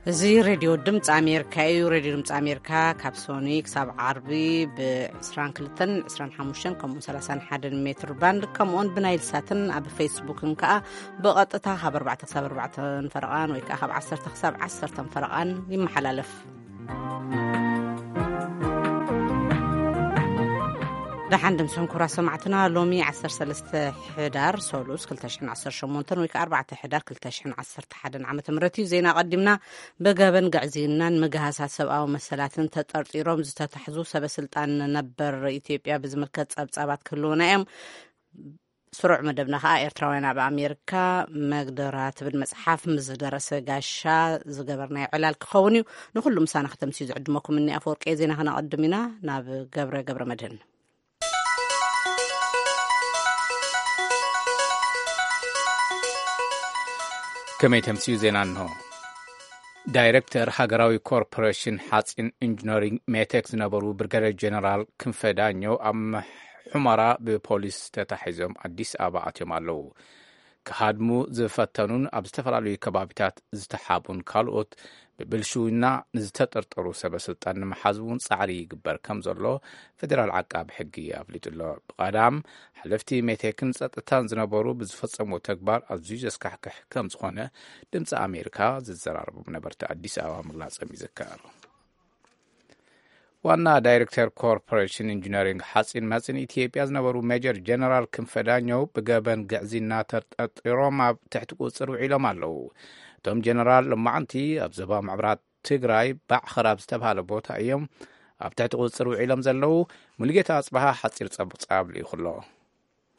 እዚ ሬድዮ ድምፂ ኣሜሪካ እዩ። ሬድዮ ድምፂ ኣሜሪካ ካብ ሶኒ ክሳብ ዓርቢ ብ22፣ 25፣ ከምኡውን 31 ሜትር ባንድ፣ ከምኡውን ብናይል ሳትን ኣብ ፌስቡክን ከዓ ብቐጥታ ካብ 4 ክሳብ 4 ፈረቓን ወይ ከዓ ካብ 10 ክሳብ 10 ፈረቓን ይመሓላለፍ። ደሓን ድምስኹም ክቡራት ሰማዕትና። ሎሚ 13 ሕዳር ሰሉስ 2018 ወይ ከዓ 4 ሕዳር 2011 ዓመተ ምህረት እዩ። ዜና ቀዲምና። ብገበን ግዕዝይናን ምግሃሳት ሰብኣዊ መሰላትን ተጠርጢሮም ዝተታሕዙ ሰበ ስልጣን ነበር ኢትዮጵያ ብዝምልከት ጸብጻባት ክህልውና እዮም። ስሩዕ መደብና ከዓ ኤርትራውያን ኣብ ኣሜሪካ መግደራ ትብል መጽሓፍ ምስ ደረሰ ጋሻ ዝገበርናዮ ዕላል ክኸውን እዩ። ንኹሉ ምሳና ከተምስዩ ዝዕድመኩም እኒ ኣፈወርቂ ዜና ክነቐድም ኢና። ናብ ገብረ ገብረ መድህን። ከመይ ተምስዩ ዜና እንሆ። ዳይሬክተር ሃገራዊ ኮርፖሬሽን ሓፂን ኢንጂነሪንግ ሜቴክ ዝነበሩ ብርጋዴር ጀነራል ክንፈ ዳኘው ኣብ ሑመራ ብፖሊስ ተታሒዞም ኣዲስ ኣበባ ኣትዮም ኣለዉ። ክሃድሙ ዝፈተኑን ኣብ ዝተፈላለዩ ከባቢታት ዝተሓቡን ካልኦት ብብልሽውና ንዝተጠርጠሩ ሰበ ስልጣን ንምሓዝ እውን ጻዕሪ ይግበር ከም ዘሎ ፌዴራል ዓቃቢ ሕጊ ኣፍሊጡ ኣሎ። ብቐዳም ሓለፍቲ ሜቴክን ጸጥታን ዝነበሩ ብዝፈጸምዎ ተግባር ኣዝዩ ዘስካሕክሕ ከም ዝኾነ ድምፂ ኣሜሪካ ዝዘራረቦም ነበርቲ ኣዲስ ኣበባ ምግላጾም ይዝከር። ዋና ዳይሬክተር ኮርፖሬሽን ኢንጂነሪንግ ሓፂን መፂን ኢትዮጵያ ዝነበሩ ሜጀር ጀነራል ክንፈ ዳኘው ብገበን ግዕዝይና ተጠርጢሮም ኣብ ትሕቲ ቁፅፅር ውዒሎም ኣለዉ። እቶም ጀነራል ሎማዕንቲ ኣብ ዞባ ምዕራብ ትግራይ ባዕኸር ኣብ ዝተባሃለ ቦታ እዮም ኣብ ትሕቲ ቁፅፅር ውዒሎም ዘለዉ። ሙሉጌታ ኣፅበሃ ሓፂር ጸብጻብ ልኢኹ ኣሎ።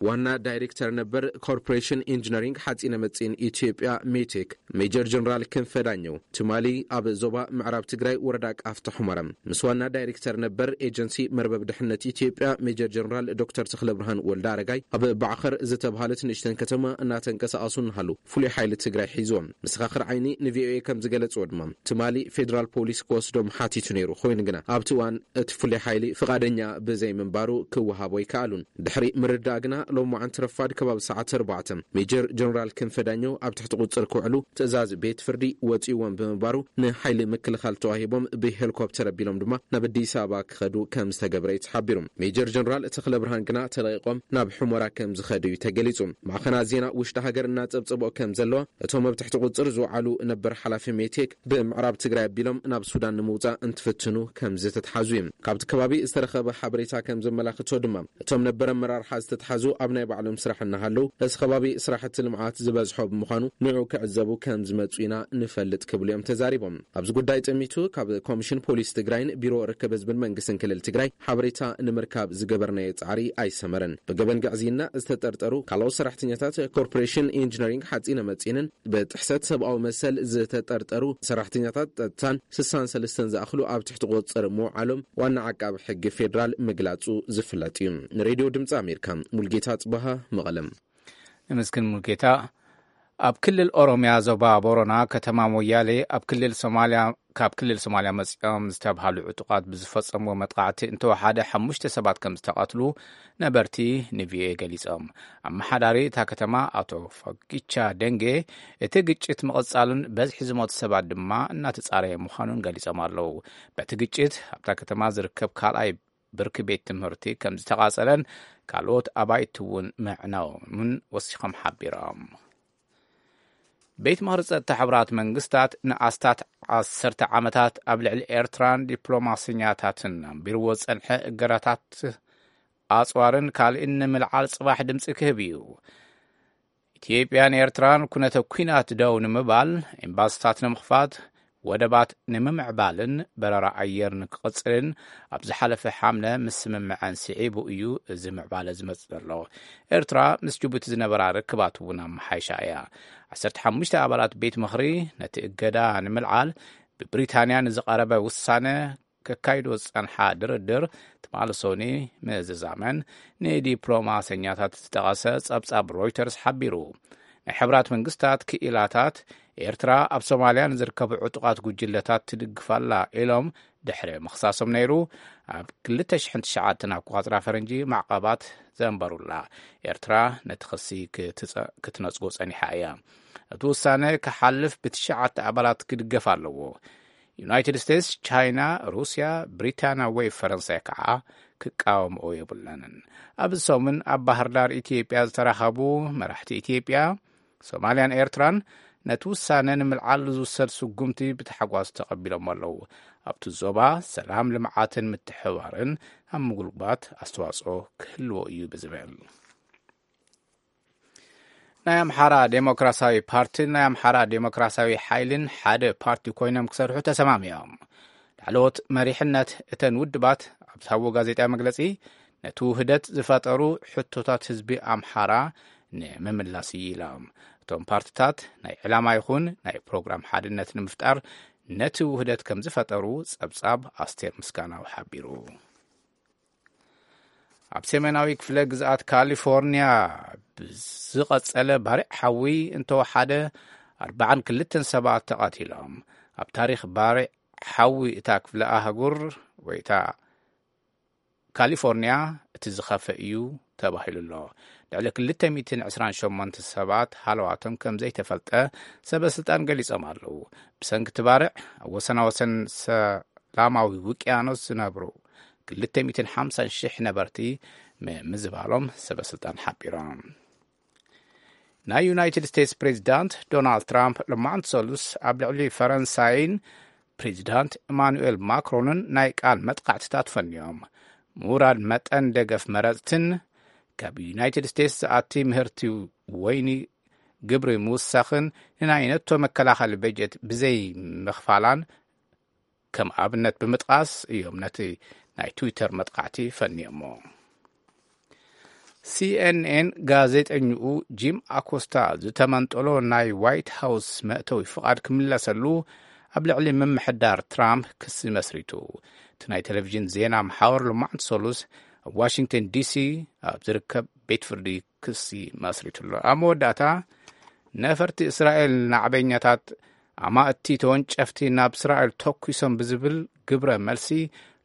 ዋና ዳይሬክተር ነበር ኮርፖሬሽን ኢንጂነሪንግ ሓፂነ መፂን ኢትዮጵያ ሜቴክ ሜጀር ጀነራል ክንፈ ዳኘው ትማሊ ኣብ ዞባ ምዕራብ ትግራይ ወረዳ ቃፍታ ሑመራ ምስ ዋና ዳይሬክተር ነበር ኤጀንሲ መርበብ ድሕነት ኢትዮጵያ ሜጀር ጀነራል ዶክተር ተኽለ ብርሃን ወልደ ኣረጋይ ኣብ ባዕኸር ዝተባሃለት ንእሽተን ከተማ እናተንቀሳቐሱ እናሃለዉ ፍሉይ ሓይሊ ትግራይ ሒዝዎም። መሰኻኽር ዓይኒ ንቪኦኤ ከም ዝገለፅዎ ድማ ትማሊ ፌዴራል ፖሊስ ክወስዶም ሓቲቱ ነይሩ። ኮይኑ ግና ኣብቲ እዋን እቲ ፍሉይ ሓይሊ ፍቓደኛ ብዘይምንባሩ ክወሃቦ ኣይከኣሉን። ድሕሪ ምርዳእ ግና ሎማዓንቲ ረፋድ ከባቢ ሰዓት ኣርባዕተ ሜጀር ጀነራል ክንፈ ዳኘው ኣብ ትሕቲ ቁፅር ክውዕሉ ትእዛዝ ቤት ፍርዲ ወፂእዎም ብምንባሩ ንሓይሊ ምክልኻል ተዋሂቦም ብሄሊኮፕተር ኣቢሎም ድማ ናብ ኣዲስ ኣበባ ክኸዱ ከም ዝተገብረ እዩ ተሓቢሩ። ሜጀር ጀነራል ተኽለ ብርሃን ግና ተለቒቖም ናብ ሑመራ ከም ዝኸዱ እዩ ተገሊጹ። ማዕኸናት ዜና ውሽጢ ሃገር እናጸብጸብኦ ከም ዘለዋ እቶም ኣብ ትሕቲ ቁፅር ዝውዓሉ ነበር ሓላፊ ሜቴክ ብምዕራብ ትግራይ ኣቢሎም ናብ ሱዳን ንምውፃእ እንትፍትኑ ከም ዝተትሓዙ እዩ። ካብቲ ከባቢ ዝተረኸበ ሓበሬታ ከም ዘመላኽቶ ድማ እቶም ነበር ኣመራርሓ ዝተትሓዙ ኣብ ናይ ባዕሎም ስራሕ እናሃለዉ እቲ ከባቢ ስራሕቲ ልምዓት ዝበዝሖ ብምዃኑ ንዑ ክዕዘቡ ከም ዝመፁ ኢና ንፈልጥ ክብሉ እዮም ተዛሪቦም። ኣብዚ ጉዳይ ጠሚቱ ካብ ኮሚሽን ፖሊስ ትግራይን ቢሮ ርክብ ህዝብን መንግስትን ክልል ትግራይ ሓበሬታ ንምርካብ ዝገበርናዮ ጻዕሪ ኣይሰመረን። ብገበን ግዕዝይና ዝተጠርጠሩ ካልኦት ሰራሕተኛታት ኮርፖሬሽን ኢንጂነሪንግ ሓፂነ መፂንን ብጥሕሰት ሰብኣዊ መሰል ዝተጠርጠሩ ሰራሕተኛታት ጸጥታን ስሳን ሰለስተን ዝኣኽሉ ኣብ ትሕቲ ቁፅፅር ምውዓሎም ዋና ዓቃቢ ሕጊ ፌዴራል ምግላጹ ዝፍለጥ እዩ። ንሬድዮ ድምፂ ኣሜሪካ ሙልጌታ ጽበሃ መቐለም። ንምስክን ሙልጌታ። ኣብ ክልል ኦሮሚያ ዞባ ቦሮና ከተማ ሞያሌ ኣብ ክልል ሶማልያ ካብ ክልል ሶማልያ መጺኦም ዝተብሃሉ ዕጡቓት ብዝፈጸምዎ መጥቃዕቲ እንተወሓደ ሓሙሽተ ሰባት ከም ዝተቐትሉ ነበርቲ ንቪኦኤ ገሊጾም። ኣመሓዳሪ እታ ከተማ ኣቶ ፈጊቻ ደንጌ እቲ ግጭት ምቕጻሉን በዝሒ ዝሞቱ ሰባት ድማ እናተጻረየ ምዃኑን ገሊጾም ኣለዉ። በቲ ግጭት ኣብታ ከተማ ዝርከብ ካልኣይ ብርኪ ቤት ትምህርቲ ከም ዝተቓጸለን ካልኦት ኣባይቲ እውን ምዕናዎምን ወሲኾም ሓቢሮም። ቤት ምኽሪ ጸጥታ ሕቡራት መንግስታት ንኣስታት ዓሰርተ ዓመታት ኣብ ልዕሊ ኤርትራን ዲፕሎማሰኛታትን ኣንቢርዎ ዝጸንሐ እገዳታት ኣጽዋርን ካልእን ንምልዓል ጽባሕ ድምጺ ክህብ እዩ። ኢትዮጵያን ኤርትራን ኩነተ ኲናት ደው ንምባል፣ ኤምባስታት ንምኽፋት፣ ወደባት ንምምዕባልን በረራ ኣየር ንክቕጽልን ኣብ ዝሓለፈ ሓምለ ምስ ስምምዐን ስዒቡ እዩ እዚ ምዕባለ ዝመጽእ ዘሎ። ኤርትራ ምስ ጅቡቲ ዝነበራ ርክባት እውን ኣመሓይሻ እያ። ዓሰርተ ሓሙሽተ ኣባላት ቤት ምኽሪ ነቲ እገዳ ንምልዓል ብብሪታንያ ንዝቐረበ ውሳነ ከካይዶ ዝጸንሓ ድርድር ትማሊ ሶኒ ምዝዛመን ንዲፕሎማሰኛታት ዝጠቐሰ ጸብጻብ ሮይተርስ ሓቢሩ። ናይ ሕብራት መንግስታት ክኢላታት፣ ኤርትራ ኣብ ሶማልያ ንዝርከቡ ዕጡቓት ጉጅለታት ትድግፍ ኣላ ኢሎም ድሕሪ ምኽሳሶም ነይሩ። ኣብ ክልተ ሽሕን ትሽዓተን ኣቆጻጽራ ፈረንጂ ማዕቐባት ዘንበሩላ ኤርትራ ነቲ ክሲ ክትጸ-፣ ክትነጽጎ ጸኒሓ እያ። እቲ ውሳነ ክሓልፍ ብትሽዓተ ኣባላት ክድገፍ ኣለዎ። ዩናይትድ ስቴትስ፣ ቻይና፣ ሩስያ፣ ብሪታንያ ወይ ፈረንሳይ ከዓ ክቃወምኦ የብለንን። ኣብዚ ሰሙን ኣብ ባህር ዳር ኢትዮጵያ ዝተራኸቡ መራሕቲ ኢትዮጵያ፣ ሶማልያን ኤርትራን ነቲ ውሳነ ንምልዓል ዝውሰድ ስጉምቲ ብታሕጓስ ተቐቢሎም ኣለዉ። ኣብቲ ዞባ ሰላም፣ ልምዓትን ምትሕብባርን ኣብ ምጉልባት ኣስተዋጽኦ ክህልዎ እዩ ብዝብል፣ ናይ ኣምሓራ ዴሞክራሲያዊ ፓርቲን ናይ ኣምሓራ ዴሞክራሲያዊ ሓይልን ሓደ ፓርቲ ኮይኖም ክሰርሑ ተሰማሚኦም። ላዕለዎት መሪሕነት እተን ውድባት ኣብ ዝሃብዎ ጋዜጣዊ መግለጺ፣ ነቲ ውህደት ዝፈጠሩ ሕቶታት ህዝቢ ኣምሓራ ንምምላስ እዩ ኢሎም። እቶም ፓርትታት ናይ ዕላማ ይኹን ናይ ፕሮግራም ሓድነት ንምፍጣር ነቲ ውህደት ከም ዝፈጠሩ ጸብጻብ ኣስቴር ምስጋናው ሓቢሩ። ኣብ ሰሜናዊ ክፍለ ግዝኣት ካሊፎርኒያ ብዝቐጸለ ባርዕ ሓዊ እንተወሓደ ኣርባዓን ክልተን ሰባት ተቐቲሎም። ኣብ ታሪኽ ባርዕ ሓዊ እታ ክፍለ ኣህጉር ወይ እታ ካሊፎርኒያ እቲ ዝኸፈ እዩ ተባሂሉ ኣሎ። ልዕሊ ክልተ ሚእትን ዕስራን ሸሞንተ ሰባት ሃለዋቶም ከም ዘይተፈልጠ ሰበ ስልጣን ገሊጾም ኣለዉ። ብሰንኪ እቲ ባርዕ ኣብ ወሰናወሰን ሰላማዊ ውቅያኖስ ዝነብሩ ክልተ ሚእትን ሓምሳን ሽሕ ነበርቲ ምምዝባሎም ሰበ ስልጣን ሓቢሮም። ናይ ዩናይትድ ስቴትስ ፕሬዚዳንት ዶናልድ ትራምፕ ሎማዕንቲ ሰሉስ ኣብ ልዕሊ ፈረንሳይን ፕሬዚዳንት ኢማኑኤል ማክሮንን ናይ ቃል መጥቃዕትታት ፈንዮም። ምውራድ መጠን ደገፍ መረፅትን፣ ካብ ዩናይትድ ስቴትስ ዝኣቲ ምህርቲ ወይኒ ግብሪ ምውሳኽን ንናይ ነቶ መከላኸሊ በጀት ብዘይ ምኽፋላን ከም ኣብነት ብምጥቃስ እዮም ነቲ ናይ ትዊተር መጥቃዕቲ ፈንዮሞ። ሲኤንኤን ጋዜጠኝኡ ጂም ኣኮስታ ዝተመንጠሎ ናይ ዋይት ሃውስ መእተዊ ፍቓድ ክምለሰሉ ኣብ ልዕሊ ምምሕዳር ትራምፕ ክሲ መስሪቱ። እቲ ናይ ቴሌቪዥን ዜና መሓወር ሎማዕንቲ ሰሉስ ኣብ ዋሽንግተን ዲሲ ኣብ ዝርከብ ቤት ፍርዲ ክሲ መስሪቱ ኣሎ። ኣብ መወዳእታ፣ ነፈርቲ እስራኤል ናዕበኛታት ኣማእቲ ተወንጨፍቲ ናብ እስራኤል ተኩሶም ብዝብል ግብረ መልሲ፣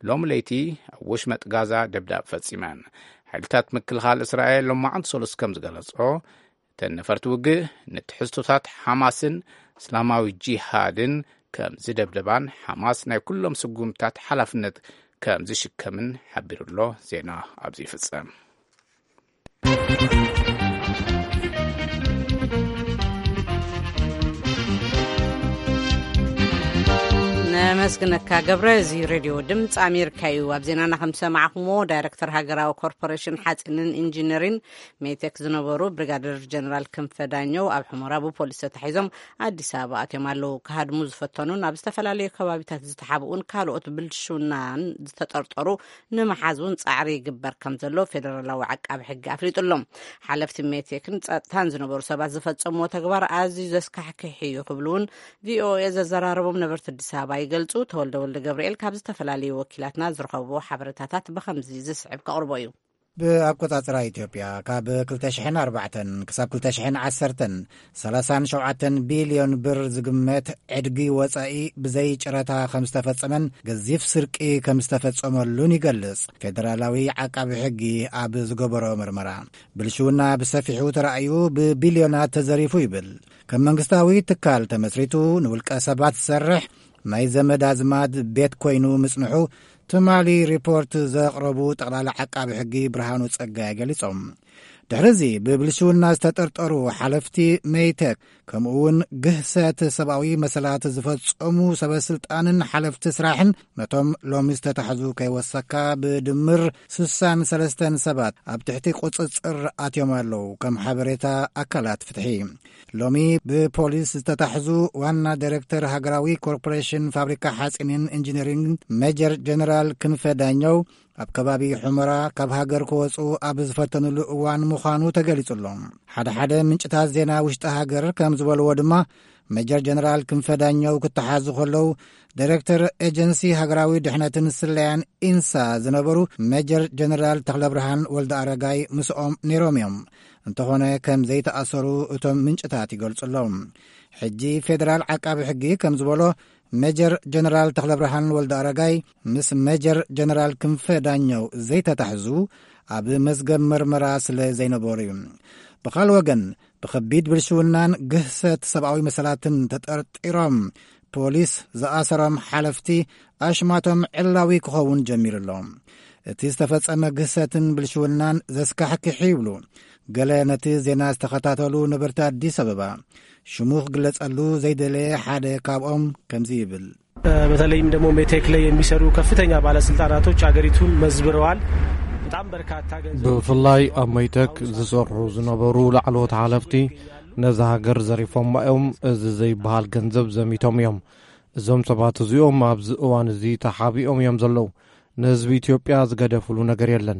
ሎሚ ለይቲ ኣብ ወሽመጥ ጋዛ ደብዳብ ፈጺመን። ሓይልታት ምክልኻል እስራኤል ሎማዕንቲ ሰሉስ ከም ዝገለጾ፣ እተን ነፈርቲ ውግእ ንትሕዝቶታት ሓማስን እስላማዊ ጂሃድን ከም ዝደብደባን፣ ሓማስ ናይ ኩሎም ስጉምታት ሓላፍነት ከም ዝሽከምን ሓቢሩ ኣሎ። ዜና ኣብዚ ይፍጸም። ነመስግነካ ገብረ። እዚ ሬድዮ ድምፂ ኣሜሪካ እዩ። ኣብ ዜናና ከም ዝሰማዕኩምዎ፣ ዳይረክተር ሃገራዊ ኮርፖሬሽን ሓፂንን ኢንጂነሪን ሜቴክ ዝነበሩ ብሪጋደር ጀነራል ክንፈ ዳኘው ኣብ ሕሞራ ብፖሊስ ተታሒዞም ኣዲስ ኣበባ ኣትዮም ኣለዉ። ክሃድሙ ዝፈተኑን ኣብ ዝተፈላለዩ ከባቢታት ዝተሓብኡን ካልኦት ብልሽውናን ዝተጠርጠሩ ንምሓዝ እውን ጻዕሪ ይግበር ከም ዘሎ ፌደራላዊ ዓቃቢ ሕጊ ኣፍሊጡ ኣሎ። ሓለፍቲ ሜቴክን ጸጥታን ዝነበሩ ሰባት ዝፈጸምዎ ተግባር ኣዝዩ ዘስካሕክሕ እዩ ክብሉ እውን ቪኦኤ ዘዘራረቦም ነበርቲ ኣዲስ ኣበባ ይገልጹ። ተወልደ ወልደ ገብርኤል ካብ ዝተፈላለዩ ወኪላትና ዝረኸብዎ ሓበሬታታት ብኸምዚ ዝስዕብ ከቕርቦ እዩ። ብኣቆጻጽራ ኢትዮጵያ፣ ካብ ክልተ ሽሕን ኣርባዕተን ክሳብ ክልተ ሽሕን ዓሰርተን፣ ሰላሳን ሸውዓተን ቢልዮን ብር ዝግመት ዕድጊ ወጻኢ ብዘይ ጨረታ ከም ዝተፈጸመን ገዚፍ ስርቂ ከም ዝተፈጸመሉን ይገልጽ። ፌደራላዊ ዓቃቢ ሕጊ ኣብ ዝገበሮ ምርመራ፣ ብልሽውና ብሰፊሑ ተራእዩ፣ ብቢልዮናት ተዘሪፉ ይብል። ከም መንግስታዊ ትካል ተመስሪቱ ንውልቀ ሰባት ዝሰርሕ ናይ ዘመድ ኣዝማድ ቤት ኮይኑ ምጽንሑ ትማሊ ሪፖርት ዘቕረቡ ጠቕላላ ዓቃቢ ሕጊ ብርሃኑ ጸጋይ ገሊጾም። ድሕሪዚ ብብልሽውና ዝተጠርጠሩ ሓለፍቲ ሜይቴክ፣ ከምኡ እውን ግህሰት ሰብኣዊ መሰላት ዝፈጸሙ ሰበስልጣንን ሓለፍቲ ስራሕን፣ ነቶም ሎሚ ዝተታሕዙ ከይወሰካ ብድምር ስሳን ሰለስተን ሰባት ኣብ ትሕቲ ቁጽጽር ኣትዮም ኣለዉ፣ ከም ሓበሬታ ኣካላት ፍትሒ። ሎሚ ብፖሊስ ዝተታሕዙ ዋና ዳይሬክተር ሃገራዊ ኮርፖሬሽን ፋብሪካ ሓጺንን ኢንጂነሪንግ ሜጀር ጀነራል ክንፈ ዳኘው፣ ኣብ ከባቢ ሑመራ ካብ ሃገር ክወጹ ኣብ ዝፈተኑሉ እዋን ምዃኑ ተገሊጹ ኣሎ። ሓደ ሓደ ምንጭታት ዜና ውሽጢ ሃገር ከም ዝበልዎ ድማ፣ ሜጀር ጀነራል ክንፈ ዳኘው ክተሓዙ ከለዉ፣ ዳይሬክተር ኤጀንሲ ሃገራዊ ድሕነትን ስለያን ኢንሳ ዝነበሩ ሜጀር ጀነራል ተኽለብርሃን ወልደ ኣረጋይ ምስኦም ነይሮም እዮም። እንተኾነ ከም ዘይተኣሰሩ እቶም ምንጭታት ይገልጹ ኣለዉ። ሕጂ ፌደራል ዓቃቢ ሕጊ ከም ዝበሎ፣ ሜጀር ጀነራል ተኽለብርሃን ወልደ ኣረጋይ ምስ ሜጀር ጀነራል ክንፈ ዳኘው ዘይተታሕዙ ኣብ መዝገብ መርመራ ስለ ዘይነበሩ እዩ። ብኻል ወገን፣ ብኸቢድ ብልሽውናን ግህሰት ሰብኣዊ መሰላትን ተጠርጢሮም ፖሊስ ዝኣሰሮም ሓለፍቲ ኣሽማቶም ዕላዊ ክኸውን ጀሚሩ ኣሎ። እቲ ዝተፈጸመ ግህሰትን ብልሽውናን ዘስካሕክሕ ይብሉ ገለ ነቲ ዜና ዝተኸታተሉ ነበርቲ ኣዲስ ኣበባ። ሽሙ ክግለጸሉ ዘይደለየ ሓደ ካብኦም ከምዚ ይብል። በተለይም ደግሞ ሜቴክ ላይ የሚሰሩ ከፍተኛ ባለስልጣናቶች ሀገሪቱን መዝብረዋል። በጣም በርካታ ገንዘብ ብፍላይ ኣብ ሜቴክ ዝሰርሑ ዝነበሩ ላዕለዎት ሓለፍቲ ነዛ ሃገር ዘሪፎማ እዮም። እዚ ዘይበሃል ገንዘብ ዘሚቶም እዮም። እዞም ሰባት እዚኦም ኣብዚ እዋን እዚ ተሓቢኦም እዮም ዘለዉ። ንህዝቢ ኢትዮጵያ ዝገደፍሉ ነገር የለን።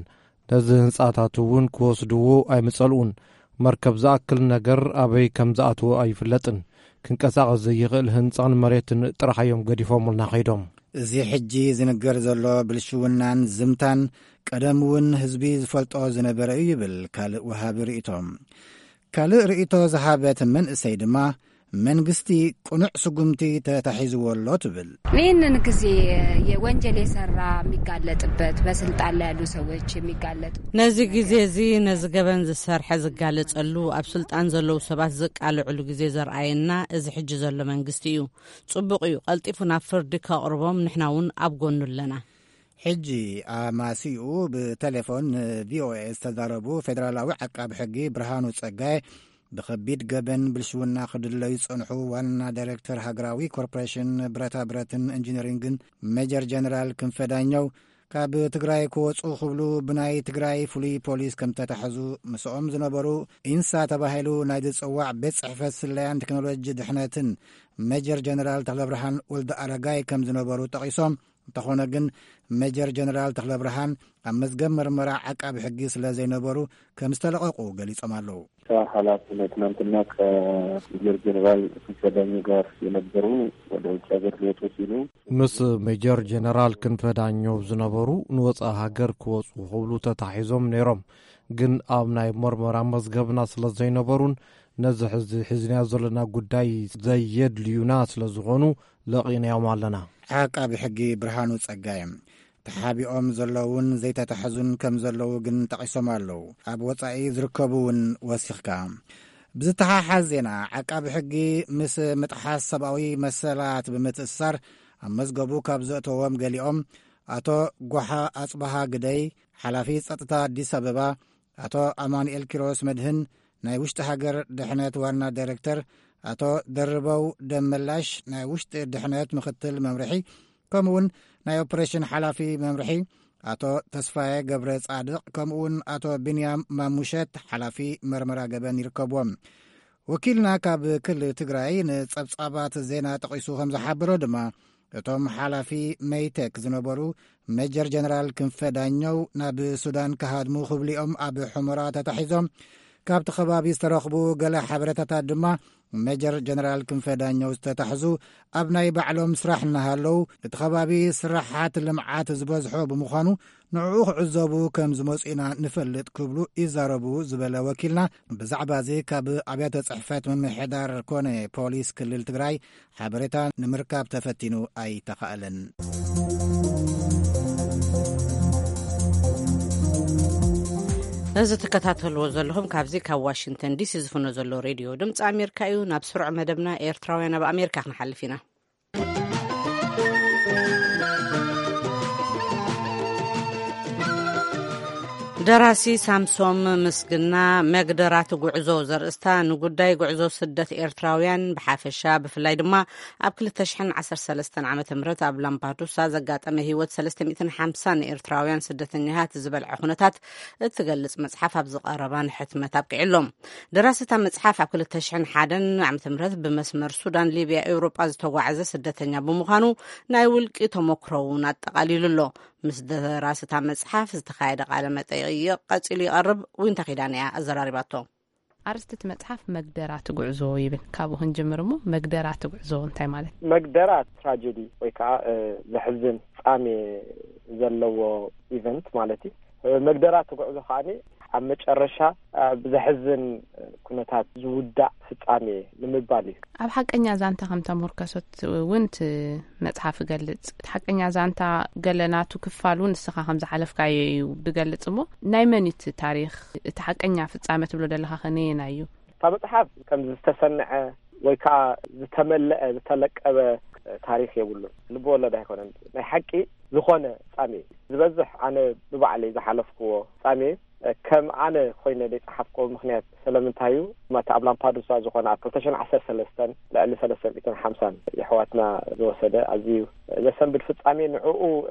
ነዚ ህንጻታት እውን ክወስድዎ ኣይምጸልኡን። መርከብ ዝኣክል ነገር ኣበይ ከም ዝኣትዎ ኣይፍለጥን። ክንቀሳቐስ ዘይኽእል ህንጻን መሬትን ጥራሕ እዮም ገዲፎምልና ከይዶም። እዚ ሕጂ ዝንገር ዘሎ ብልሽውናን ዝምታን ቀደም እውን ህዝቢ ዝፈልጦ ዝነበረ እዩ ይብል ካልእ ወሃቢ ርእይቶ። ካልእ ርእይቶ ዝሃበት መንእሰይ ድማ፣ መንግስቲ ቅኑዕ ስጉምቲ ተታሒዝዎ ኣሎ ትብል። ይህንን ጊዜ የወንጀል የሰራ የሚጋለጥበት፣ በስልጣን ላይ ያሉ ሰዎች የሚጋለጡ ነዚ ግዜ እዚ ነዚ ገበን ዝሰርሐ ዝጋለጸሉ ኣብ ስልጣን ዘለዉ ሰባት ዝቃልዕሉ ግዜ ዘርኣየና እዚ ሕጂ ዘሎ መንግስቲ እዩ። ጽቡቕ እዩ፣ ቀልጢፉ ናብ ፍርዲ ከቕርቦም ንሕና እውን ኣብ ጎኑ ኣለና። ሕጂ ኣማሲኡ ብቴሌፎን ንቪኦኤ ዝተዛረቡ ፌደራላዊ ዓቃቢ ሕጊ ብርሃኑ ጸጋይ፣ ብኸቢድ ገበን ብልሽውና ክድለዩ ዝጸንሑ ዋና ዳይሬክተር ሃገራዊ ኮርፖሬሽን ብረታ ብረትን ኢንጂነሪንግን ሜጀር ጀነራል ክንፈ ዳኘው፣ ካብ ትግራይ ክወጹ ክብሉ ብናይ ትግራይ ፍሉይ ፖሊስ ከም ተታሕዙ፣ ምስኦም ዝነበሩ ኢንሳ ተባሂሉ ናይ ዝጽዋዕ ቤት ጽሕፈት ስለያን ቴክኖሎጂ ድሕነትን ሜጀር ጀነራል ተኽለብርሃን ወልደ ኣረጋይ ከም ዝነበሩ ጠቒሶም፣ እንተኾነ ግን ሜጀር ጀነራል ተኽለብርሃን ኣብ መዝገብ መርመራ ዓቃቢ ሕጊ ስለ ዘይነበሩ ከም ዝተለቐቑ ገሊጾም ኣለዉ። ከ ሓላፊ ትናንትና ከሜጀር ጀነራል ክንፈ ዳኘው ጋር የነበሩ ወደ ውጭ ሀገር ሊወጡ ሲሉ ምስ ሜጀር ጀነራል ክንፈ ዳኘው ዝነበሩ ንወፃኢ ሃገር ክወፁ ክብሉ ተታሒዞም ነይሮም። ግን ኣብ ናይ መርመራ መዝገብና ስለ ዘይነበሩን ነዚ ሕዚ ሒዝናዮ ዘለና ጉዳይ ዘየድልዩና ስለ ዝኾኑ ለቒናዮም ኣለና። ዓቃቢ ሕጊ ብርሃኑ ጸጋይ ተሓቢኦም ዘለውን ዘይተታሕዙን ከም ዘለዉ ግን ጠቒሶም ኣለዉ። ኣብ ወጻኢ ዝርከቡ እውን ወሲኽካ። ብዝተሓሓዝ ዜና፣ ዓቃቢ ሕጊ ምስ ምጥሓስ ሰብኣዊ መሰላት ብምትእስሳር ኣብ መዝገቡ ካብ ዘእተዎም ገሊኦም፣ ኣቶ ጓሓ ኣጽበሃ ግደይ፣ ሓላፊ ጸጥታ ኣዲስ ኣበባ፣ ኣቶ ኣማኑኤል ኪሮስ መድህን፣ ናይ ውሽጢ ሃገር ድሕነት ዋና ዳይረክተር፣ ኣቶ ደርበው ደመላሽ፣ ናይ ውሽጢ ድሕነት ምኽትል መምርሒ፣ ከምኡውን ናይ ኦፕሬሽን ሓላፊ መምርሒ ኣቶ ተስፋየ ገብረ ጻድቕ፣ ከምኡውን ኣቶ ቢንያም ማሙሸት፣ ሓላፊ መርመራ ገበን ይርከብዎም። ወኪልና ካብ ክልል ትግራይ ንጸብጻባት ዜና ጠቒሱ ከም ዝሓበሮ ድማ፣ እቶም ሓላፊ መይቴክ ዝነበሩ ሜጀር ጀነራል ክንፈ ዳኘው ናብ ሱዳን ክሃድሙ ክብሊኦም ኣብ ሑመራ ተታሒዞም ካብቲ ከባቢ ዝተረኽቡ ገለ ሓበሬታታት ድማ፣ ሜጀር ጀነራል ክንፈ ዳኘው ዝተታሕዙ ኣብ ናይ ባዕሎም ስራሕ እናሃለዉ፣ እቲ ከባቢ ስራሓት ልምዓት ዝበዝሖ ብምዃኑ፣ ንዕኡ ክዕዘቡ ከም ዝመጹ ኢና ንፈልጥ ክብሉ ይዛረቡ ዝበለ ወኪልና፣ ብዛዕባ እዚ ካብ ኣብያተ ጽሕፈት ምምሕዳር ኮነ ፖሊስ ክልል ትግራይ ሓበሬታ ንምርካብ ተፈቲኑ ኣይተኻእለን። እዚ ትከታተልዎ ዘለኹም ካብዚ ካብ ዋሽንግተን ዲሲ ዝፍኖ ዘሎ ሬድዮ ድምፂ ኣሜሪካ እዩ። ናብ ስሩዕ መደብና ኤርትራውያን ኣብ ኣሜሪካ ክንሓልፍ ኢና። ደራሲ ሳምሶም ምስግና፣ መግደራቲ ጉዕዞ ዘርእስታ ንጉዳይ ጉዕዞ ስደት ኤርትራውያን ብሓፈሻ፣ ብፍላይ ድማ ኣብ ክልተ ሽሕን ዓሰርተ ሰለስተን ዓመተ ምህረት ኣብ ላምፓዱሳ ዘጋጠመ ህይወት ሰለስተ ሚእትን ሓምሳን ኤርትራውያን ስደተኛታት ዝበልዐ ኩነታት እትገልጽ መጽሓፍ ኣብ ዝቐረባ ንሕትመት ኣብቂዑ ኣሎ። ደራሲ እታ መጽሓፍ ኣብ ክልተ ሽሕን ሓደን ዓመተ ምህረት ብመስመር ሱዳን፣ ሊብያ፣ ኤውሮጳ ዝተጓዓዘ ስደተኛ ብምዃኑ ናይ ውልቂ ተመክሮ እውን ኣጠቓሊሉ ኣሎ። ምስ ደራሲ እታ መጽሓፍ ዝተኻየደ ቃለ መጠይቕ ቀጺሉ ይቐርብ። ዊንታ ኪዳነ እያ ኣዘራሪባቶ። ኣርእስቲ እቲ መጽሓፍ መግደራቲ ጉዕዞ ይብል። ካብኡ ክንጅምር እሞ መግደራቲ ጉዕዞ እንታይ ማለት እዩ? መግደራት ትራጀዲ ወይ ከዓ እ፣ ዘሕዝን ፍጻሜ ዘለዎ ኢቨንት ማለት እዩ። እ፣ መግደራቲ ጉዕዞ ከዓ ኣብ መጨረሻ ብዘሕዝን ኩነታት ዝውዳእ ፍጻሜ ንምባል እዩ። ኣብ ሓቀኛ ዛንታ ከም ተሞርከሰት እውን እቲ መጽሓፍ ይገልጽ። እቲ ሓቀኛ ዛንታ ገለ ናቱ ክፋል እውን ንስኻ ከም ዝሓለፍካዮ እዩ ዝገልጽ። እሞ ናይ መን እዩ እቲ ታሪኽ? እቲ ሓቀኛ ፍጻመ ትብሎ ዘለኻ ከ ነየናይ እዩ? እታ መጽሓፍ ከም ዝተሰንዐ ወይ ከዓ ዝተመለአ ዝተለቀበ ታሪኽ የብሉን። ልቢ ወለድ ኣይኮነን። ናይ ሓቂ ዝኾነ ፍጻሜ ዝበዝሕ ኣነ ብባዕለይ ዝሓለፍክዎ ፍጻሜ ከም ኣነ ኮይነ ዘይጸሓፍክዎ ምኽንያት ስለምንታይ እዩ? ማታ ኣብ ላምፓዱሳ ዝኾነ ኣብ ክልተ ሽሕን ዓሰርተ ሰለስተን ልዕሊ ሰለስተ ሚእትን ሓምሳን የሕዋትና ዝወሰደ ኣዝዩ ዘሰንብድ ፍጻሜ ንዕኡ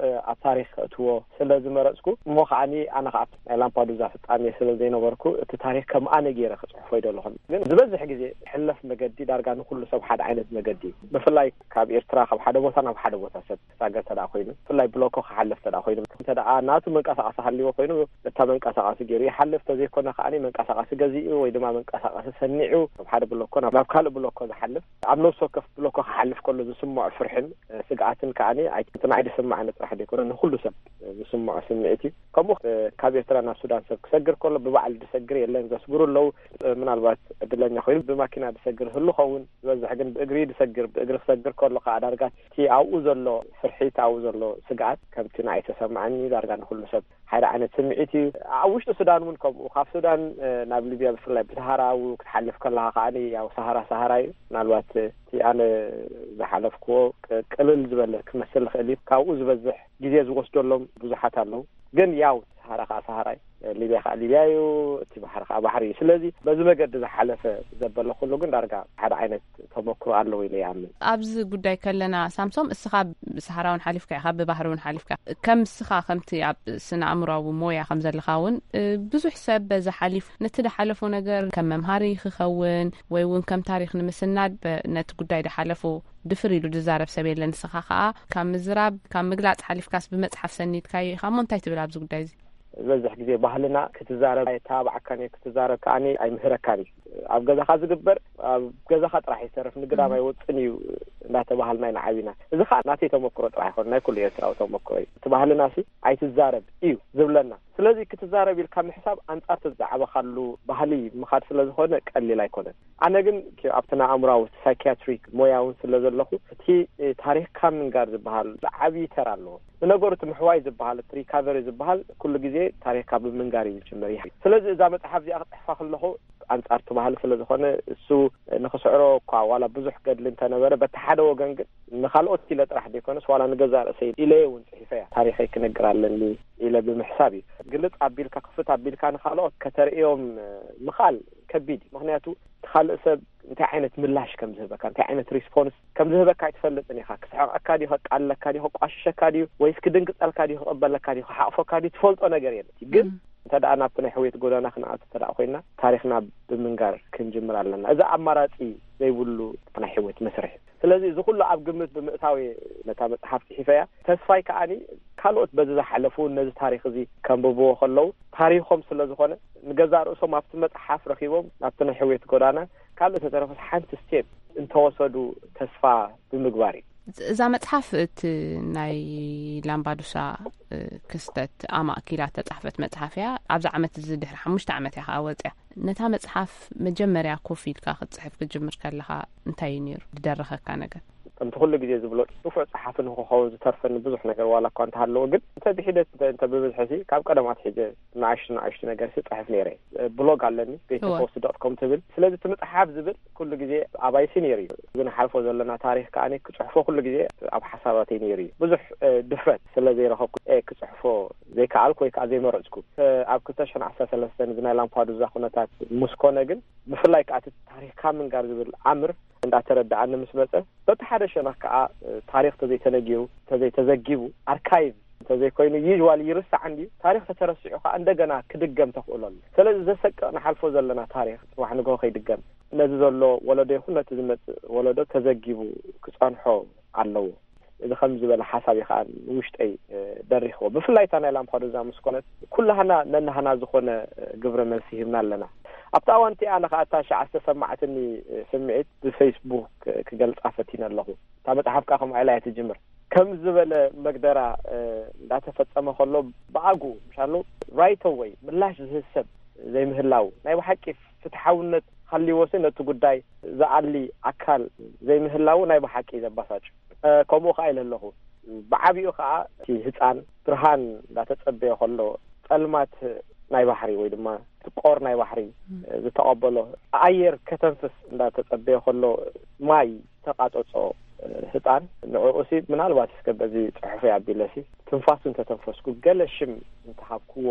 ኣብ ታሪኽ ከእትዎ ስለ ዝመረጽኩ እሞ ከዓኒ ኣነ ከኣ ናይ ላምፓዱዛ ፍጻሜ ስለ ዘይነበርኩ እቲ ታሪኽ ከም ኣነ ገይረ ክጽሕፎ ይደለኹን። ግን ዝበዝሕ ግዜ ሕለፍ መገዲ ዳርጋ ንኩሉ ሰብ ሓደ ዓይነት መገዲ እዩ። ብፍላይ ካብ ኤርትራ ካብ ሓደ ቦታ ናብ ሓደ ቦታ ሰብ ክሳገር ተደኣ ኮይኑ ብፍላይ ብሎኮ ክሓልፍ ተደኣ ኮይኑ እንተ ደኣ ናቱ መንቀሳቐሲ ሃልዎ ኮይኑ እታ መንቀሳቐሲ ገይሩ ይሓልፍ። ተዘይኮነ ከዓኒ መንቀሳቐሲ ገዚኡ ወይ ድማ መንቀሳቐሲ ሰኒዑ ካብ ሓደ ብሎኮ ናብ ካልእ ብሎኮ ዝሓልፍ ኣብ ነፍሲ ወከፍ ብሎኮ ክሓልፍ ከሎ ዝስምዖ ፍርሕን ስግኣትን ከዓኒ ኣይ ትናይ ድስምዓኒ ጥራሕ ዘይኮነ ንኩሉ ሰብ ዝስምዖ ስምዒት እዩ። ከምኡ ካብ ኤርትራ ናብ ሱዳን ሰብ ክሰግር ከሎ ብባዕሉ ድሰግር የለን ዘስግሩ ኣለዉ። ምናልባት ዕድለኛ ኮይኑ ብማኪና ድሰግር ህሉ ኸውን ዝበዝሕ ግን ብእግሪ ድሰግር ብእግሪ ክሰግር ከሎ ከዓ ዳርጋ እቲ ኣብኡ ዘሎ ፍርሒት ኣብኡ ዘሎ ስግኣት ከምቲ ንኣይ ተሰምዓኒ ዳርጋ ንኩሉ ሰብ ሓደ ዓይነት ስምዒት እዩ። ኣብ ውሽጢ ሱዳን እውን ከምኡ ካብ ሱዳን ናብ ሊብያ ብፍላይ ብሰሃራ ክትሓልፍ ከለካ ከዓኒ ያው ሰሃራ ሰሃራ እዩ። ምናልባት እቲ ኣነ ዝሓለፍክዎ ቅልል ዝበለ ክመስል ዝኽእል እዩ። ካብኡ ዝበዝሕ ግዜ ዝወስደሎም ብዙሓት ኣለዉ። ግን ያው ሰሃራ ከዓ ሰሃራ እዩ፣ ሊብያ ከዓ ሊብያ እዩ፣ እቲ ባሕሪ ከዓ ባሕሪ እዩ። ስለዚ በዚ መገዲ ዝሓለፈ ዘበለ ኩሉ ግን ዳርጋ ሓደ ዓይነት ተመክሮ ኣለዎ ኢለ ይኣምን። ኣብዚ ጉዳይ ከለና ሳምሶም፣ እስኻ ብሰሃራ እውን ሓሊፍካ ኢኻ፣ ብባህሪ እውን ሓሊፍካ። ከም እስኻ ከምቲ ኣብ ስነ ኣእምሮዊ ሞያ ከም ዘለኻ እውን ብዙሕ ሰብ በዚ ሓሊፉ ነቲ ዝሓለፎ ነገር ከም መምሃሪ ክኸውን ወይ እውን ከም ታሪኽ ንምስናድ ነቲ ጉዳይ ዝሓለፎ ድፍር ኢሉ ዝዛረብ ሰብ የለን። ንስኻ ከኣ ካብ ምዝራብ ካብ ምግላጽ ሓሊፍካስ ብመጽሓፍ ሰኒድካዮ ኢኻ እሞ እንታይ ትብል ኣብዚ ጉዳይ እዚ? ዝበዝሕ ግዜ ባህልና ክትዛረብ ኣይተባብዓካን እዩ፣ ክትዛረብ ከኣ ኣይምህረካን እዩ። ኣብ ገዛኻ ዝግበር ኣብ ገዛኻ ጥራሕ ይሰርፍ ንግዳም ኣይወጽን እዩ እንዳተባሃልና ኢና ዓቢና። እዚ ከኣ ናተይ ተመክሮ ጥራሕ ኣይኮነ ናይ ኩሉ ኤርትራዊ ተመክሮ እዩ። እቲ ባህልና ሲ ኣይትዛረብ እዩ ዝብለና። ስለዚ ክትዛረብ ኢልካ ምሕሳብ ኣንጻር እቲ ዝዓበኻሉ ባህሊ ምኻድ ስለ ዝኾነ ቀሊል ኣይኮነን። ኣነ ግን ኣብቲ ናይ ኣእምራዊ ሳይኪያትሪክ ሞያ እውን ስለ ዘለኹ እቲ ታሪኽካ ምንጋር ዝበሃል ዓብዪ ተራ ኣለዎ። ንነገሩ እቲ ምሕዋይ ዝበሃል እቲ ሪካቨሪ ዝበሃል ኩሉ ግዜ ታሪኽካ ብምንጋር እዩ ዝጅምር። ይህ ስለዚ እዛ መጽሓፍ እዚኣ ክጽሕፋ ከለኹ ኣንጻር እቲ ባህሊ ስለ ዝኾነ እሱ ንኽስዕሮ እኳ ዋላ ብዙሕ ገድሊ እንተነበረ በቲ ሓደ ወገን ግን ንኻልኦት ኢለ ጥራሕ ዘይኮነስ ዋላ ንገዛእ ርእሰይ ኢለየ እውን ጽሒፈያ ታሪኸይ ክነግር ኣለኒ ኢለ ብምሕሳብ እዩ። ግልጽ ኣቢልካ ክፍት ኣቢልካ ንኻልኦት ከተርእዮም ምኻል ከቢድ እዩ። ምኽንያቱ እቲ ካልእ ሰብ እንታይ ዓይነት ምላሽ ከም ዝህበካ እንታይ ዓይነት ሪስፖንስ ከም ዝህበካ ኣይትፈልጥን ኢኻ። ክስሕቐካ ድዩ ከቃልለካ ድዩ ከቋሽሸካ ድዩ ወይስ ክድንግጸልካ ድዩ ክቕበለካ ድዩ ክሓቕፈካ ድዩ ትፈልጦ ነገር የለን። ግን እንተ ደኣ ናብቲ ናይ ሕውየት ጎዳና ክንኣቱ እንተ ደኣ ኮይና ታሪኽና ብምንጋር ክንጅምር ኣለና። እዚ ኣማራጺ ዘይብሉ ናይ ሕውየት መስርሕ እዩ። ስለዚ እዚ ኩሉ ኣብ ግምት ብምእታው እየ ነታ መጽሓፍ ጽሒፈያ። ተስፋይ ከኣኒ ካልኦት በዚ ዝሓለፉ ነዚ ታሪኽ እዚ ከንብብዎ ከለዉ ታሪኾም ስለ ዝኾነ ንገዛእ ርእሶም ኣብቲ መጽሓፍ ረኺቦም ናብቲ ናይ ሕውየት ጎዳና ካልእ ተተረፈስ ሓንቲ ስቴፕ እንተወሰዱ ተስፋ ብምግባር እዩ። እዛ መጽሓፍ እቲ ናይ ላምባዱሳ ክስተት ኣማእኪላ ተጻሕፈት መጽሓፍ እያ። ኣብዚ ዓመት እዚ ድሕሪ ሓሙሽተ ዓመት እያ ከኣ ወጽያ። ነታ መጽሓፍ መጀመርያ ኮፍ ኢልካ ክትጽሕፍ ክትጅምር ከለኻ እንታይ እዩ ነይሩ ዝደረኸካ ነገር? ከምቲ ኩሉ ግዜ ዝብሎ ንፉዕ ጸሓፊ ንክኸውን ዝተርፈኒ ብዙሕ ነገር ዋላ እኳ እንተሃለወ ግን እንተ ብሒደት እንተ እንተ ብብዝሒ ሲ ካብ ቀደም ኣትሒዘ ንኣሽቱ ንኣሽቱ ነገር ሲ ጽሕፍ ነይረ። ብሎግ ኣለኒ ቤተ እወ። ፖስት ዶት ኮም ትብል። ስለዚ እቲ ምጽሓፍ ዝብል ኩሉ ግዜ ኣባይሲ ነይሩ እዩ። እዚ ንሓልፎ ዘለና ታሪኽ ከኣ ክጽሕፎ ኩሉ ግዜ ኣብ ሓሳባተይ ነይሩ እዩ። ብዙሕ ድፍረት ስለ ዘይረኸብኩ ክጽሕፎ ዘይከኣልኩ ወይ ከዓ ዘይመረጽኩ። ኣብ ክልተ ሽሕን ዓሰርተ ሰለስተን እዚ ናይ ላምፓዱዛ ኩነታት ምስ ኮነ ግን ብፍላይ ከዓ እቲ ታሪኽካ ምንጋር ዝብል ኣምር እንዳተረድኣኒ ምስ መጸ በቲ ሓደ ሸነኽ ከዓ ታሪኽ ተዘይተነጊሩ ተዘይተዘጊቡ ኣርካይቭ እንተዘይኮይኑ ዩዋል ይርሳዕ እንድዩ። ታሪኽ ተተረሲዑ ከዓ እንደገና ክድገም ተኽእሎ ኣሎ። ስለዚ ዘሰቅቕ ንሓልፎ ዘለና ታሪኽ ጽባሕ ንግሆ ከይድገም ነዚ ዘሎ ወለዶ ይኹን ነቲ ዝመጽእ ወለዶ ተዘጊቡ ክጸንሖ ኣለዎ። እዚ ከም ዝበለ ሓሳብ እዩ ከዓ ንውሽጠይ ደሪኽዎ። ብፍላይ እታ ናይ ላምፓዱዛ ምስ ኮነት ኩላህና ነናህና ዝኾነ ግብረ መልሲ ሂብና ኣለና። ኣብቲ ኣዋንቲ ኣነ ከዓ እታ ሸዓ ዝተሰማዕትኒ ስምዒት ብፌስቡክ ክገልጻ ፈቲነ ኣለኹ። እታ መጽሓፍ ከዓ ከምኡ ኢላ እያ ትጅምር። ከም ዝበለ መግደራ እንዳተፈጸመ ከሎ ብኣጉ ምሻሎ ራይት ኣወይ ምላሽ ዝህብ ሰብ ዘይምህላው፣ ናይ ብሓቂ ፍትሓውነት ሃልይዎሲ ነቲ ጉዳይ ዝኣሊ ኣካል ዘይምህላው ናይ ብሓቂ ዘባሳጭ። ከምኡ ከዓ ኢለ ኣለኹ። ብዓቢኡ ከዓ እቲ ህፃን ብርሃን እንዳተፀበየ ከሎ፣ ፀልማት ናይ ባሕሪ ወይ ድማ እቲ ቆር ናይ ባሕሪ ዝተቐበሎ፣ ኣየር ከተንፍስ እንዳተፀበየ ከሎ፣ ማይ ተቃፀፆ ህፃን፣ ንዕኡሲ ምናልባት እስከ በዚ ፅሑፈይ ኣቢለሲ ትንፋሱ እንተተንፈስኩ፣ ገለ ሽም እንተሃብክዎ